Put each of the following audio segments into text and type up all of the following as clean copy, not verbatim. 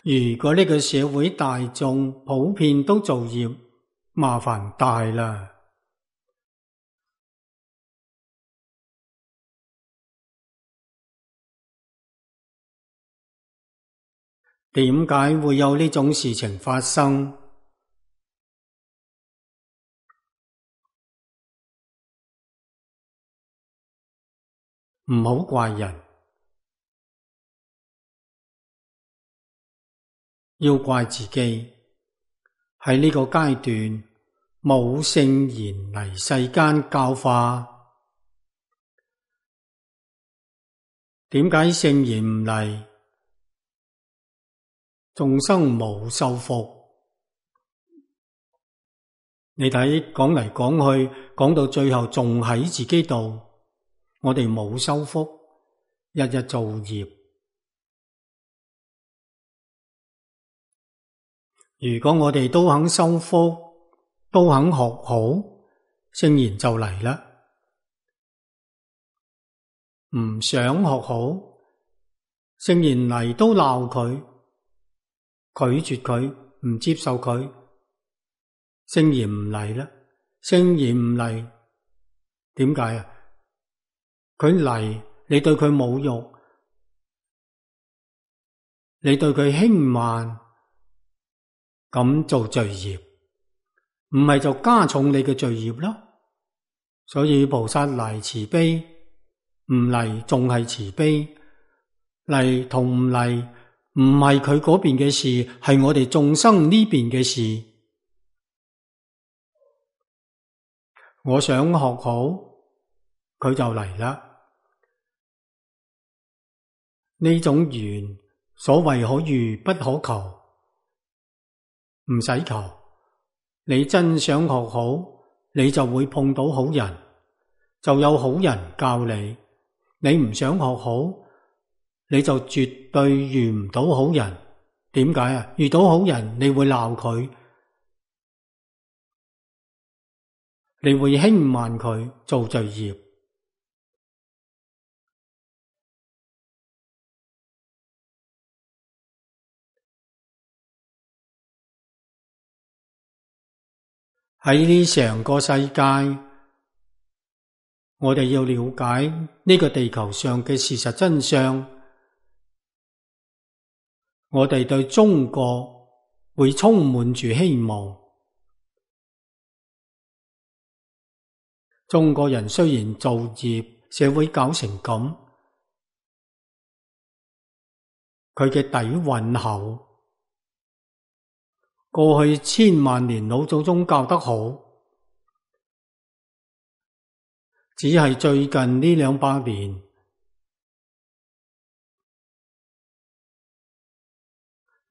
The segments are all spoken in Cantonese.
如果呢個社會大眾普遍都造業，麻煩大啦。點解會有呢種事情發生？唔好怪人，要怪自己。喺呢個階段冇聖賢嚟世間教化。點解聖賢唔嚟？眾生冇修福。你睇講嚟講去，講到最後仲喺自己度。我哋冇修福，日日造業。如果我哋都肯修福，都肯學好，聖賢就嚟啦。唔想學好，聖賢嚟都鬧佢，拒絕佢，唔接受佢，聖賢唔嚟啦。聖賢唔嚟，點解啊？佢嚟，你對佢侮辱，你對佢輕慢，咁做罪業，唔係就加重你嘅罪業咯。所以菩薩嚟慈悲，唔嚟仲係慈悲，嚟同唔嚟唔係佢嗰邊嘅事，係我哋眾生呢邊嘅事。我想學好，佢就嚟啦。呢種緣，所謂可遇不可求，唔使求。你真想學好，你就會碰到好人，就有好人教你。你唔想學好，你就絕對遇唔到好人。點解啊？遇到好人，你會鬧佢，你會輕慢佢，做罪業。喺呢成個世界，我哋要了解呢個地球上嘅事實真相。我哋對中國會充滿住希望。中國人雖然造業，社會搞成咁，佢嘅底蘊厚。過去千萬年老祖宗教得好，只係最近呢200年，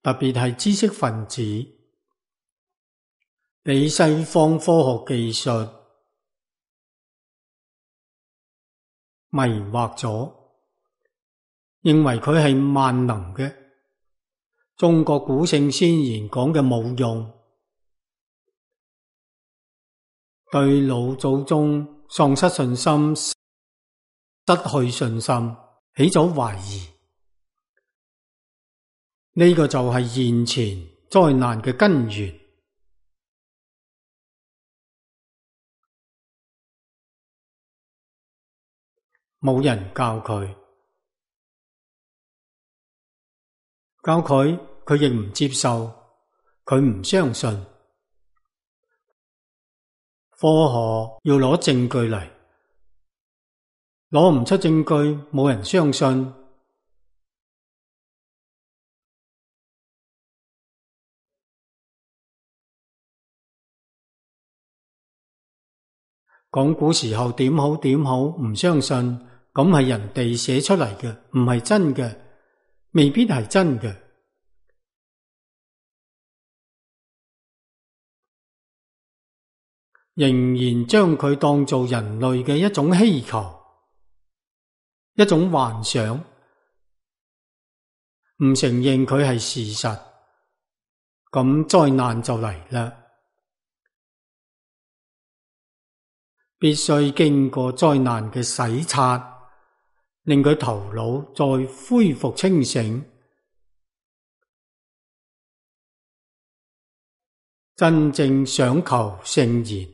特別係知識分子俾西方科學技術迷惑咗，認為佢係萬能嘅。中國古聖先賢講嘅冇用，對老祖宗喪失信心，失去信心，起咗懷疑。呢個就係現前災難嘅根源。冇人教佢，教佢，佢亦唔接受，佢唔相信。科學要攞證據嚟，攞唔出證據，冇人相信。講古時候點好點好，唔相信，咁係人哋寫出嚟嘅，唔係真嘅，未必係真嘅。仍然將佢當做人類嘅一種希求，一種幻想，唔承認佢係事實，咁災難就嚟啦。必須經過災難嘅洗刷，令佢頭腦再恢復清醒。真正想求聖賢，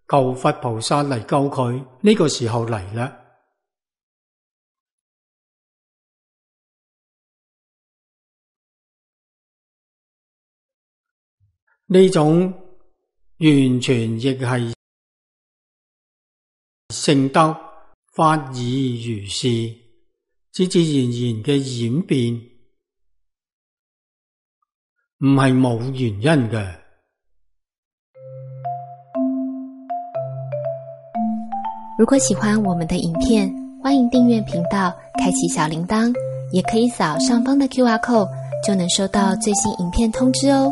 求佛菩薩嚟救佢，呢個時候嚟啦。呢種完全亦係聖德法以如是，自自然然嘅演變，唔係冇原因嘅。如果喜歡我們的影片，歡迎訂閱頻道，開啟小鈴鐺，也可以掃上方的QR code，就能收到最新影片通知哦。